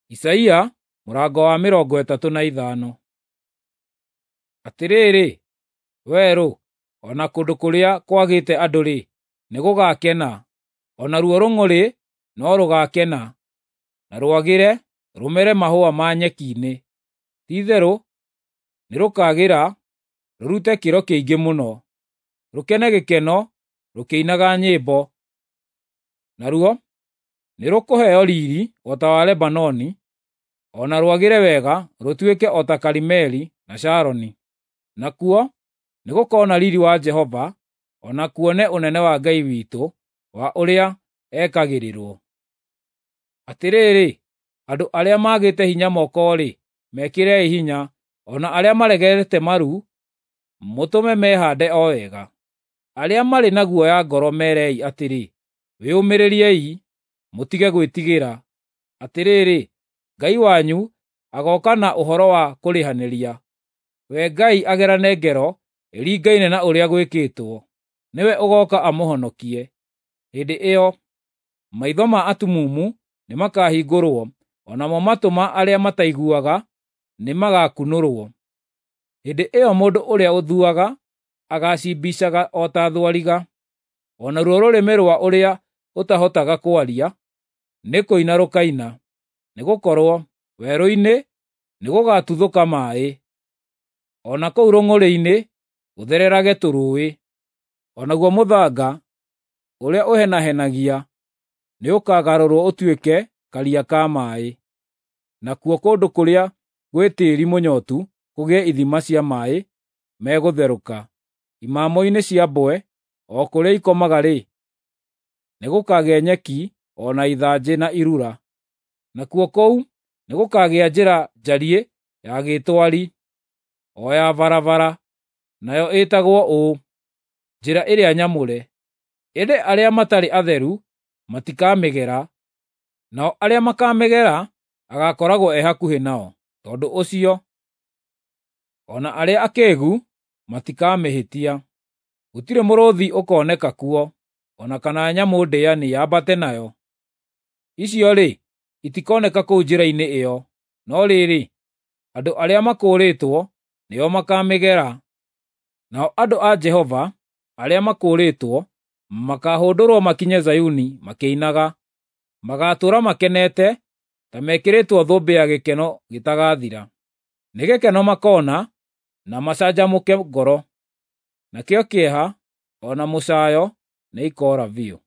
Isaia mũrango wa 35. Atĩrĩrĩ, werũ, o na kũndũ kũrĩa kwagĩte andũ-rĩ, nĩgũgakena, o naruo rũng'ũrĩ no rũgaakena, na rwagĩre rũmere mahũa ma nyeki-inĩ. Ti-itherũ nĩrũkagĩra rũrute kĩro kĩingĩ mũno, rũkene gĩkeno rũkĩinaga nyĩmbo. Naruo nĩrũkũheo riiri o ta wa Lebanoni, o na rwagĩre wega rũtuĩke o ta Karimeli na Sharoni. Nakuo nĩgũkona riiri wa Jehova, o na kuone ũnene wa Ngai witũ wa ũrĩa ekagĩrĩrwo. Atĩrĩrĩ, andũ arĩa maagĩte hinya moko-rĩ, mekĩrei hinya, o na arĩa maregete maru, mũtũme mehaande o wega. Arĩa marĩ na guoya ngoro meerei atĩrĩ, “Wĩyũmĩrĩriei, mũtige gwĩtigĩra. Atĩrĩrĩ, Ngai wanyu agooka na ũhoro wa kũrĩhanĩria. We Ngai agerane ngero ĩringaine na ũrĩa gwĩkĩtwo. Nĩwe ũgooka amũhonokie.” Hĩndĩ ĩyo maitho ma atumumu nĩmakahingũrwo, o namo matũ ma arĩa mataiguaga nĩmagakunũrwo. Hĩndĩ ĩyo mũndũ ũrĩa ũthuaga agaacimbicaga o ta thwariga, o naruo rũrĩmĩ rwa ũrĩa ũtahotaga kwaria nĩ kũina rũkaina. Nĩgũkorwo werũ-inĩ nĩgũgatuthũka maaĩ, o na kũu rũng'ũrĩ-inĩ gũthererage tũrũũĩ. O naguo mũthanga ũrĩa ũhenahenagia nĩũkagarũrwo ũtuĩke karia ka maaĩ, nakuo kũndũ kũrĩa gwĩ tĩĩri mũnyotu kũgĩe ithima cia maaĩ megũtherũka. Imamo-inĩ cia mbwe, o kũrĩa ikomaga-rĩ, nĩgũkagĩa nyeki o na ithanjĩ na irura. Nakuo kũu nĩgũkagĩa njĩra njariĩ ya gĩtwari, o ya barabara, nayo ĩtagwo ũũ, Njĩra ĩrĩa Nyamũre. Ĩndĩ arĩa matarĩ atheru matikamĩgera, nao arĩa makaamĩgera agaakoragwo e hakuhĩ nao. Tondũ ũcio, o na arĩa akĩĩgu matikamĩhĩtia. Gũtirĩ mũrũũthi ũkoneka kuo, o na kana nyamũ ndĩani yambate nayo. Icio-rĩ, itikoneka kũu njĩra-inĩ ĩyo, no rĩrĩ, andũ arĩa makũũrĩtwo nĩo makaamĩgera. Nao andũ a Jehova arĩa makũũrĩtwo makaahũndũrwo makinye Zayuni makĩinaga. Magaatũũra makenete ta mekĩrĩtwo thũmbĩ ya gĩkeno gĩtagathira. Nĩ gĩkeno makoona na macanjamũke ngoro, nakĩo kĩeha o na mũcaayo nĩikoora biũ.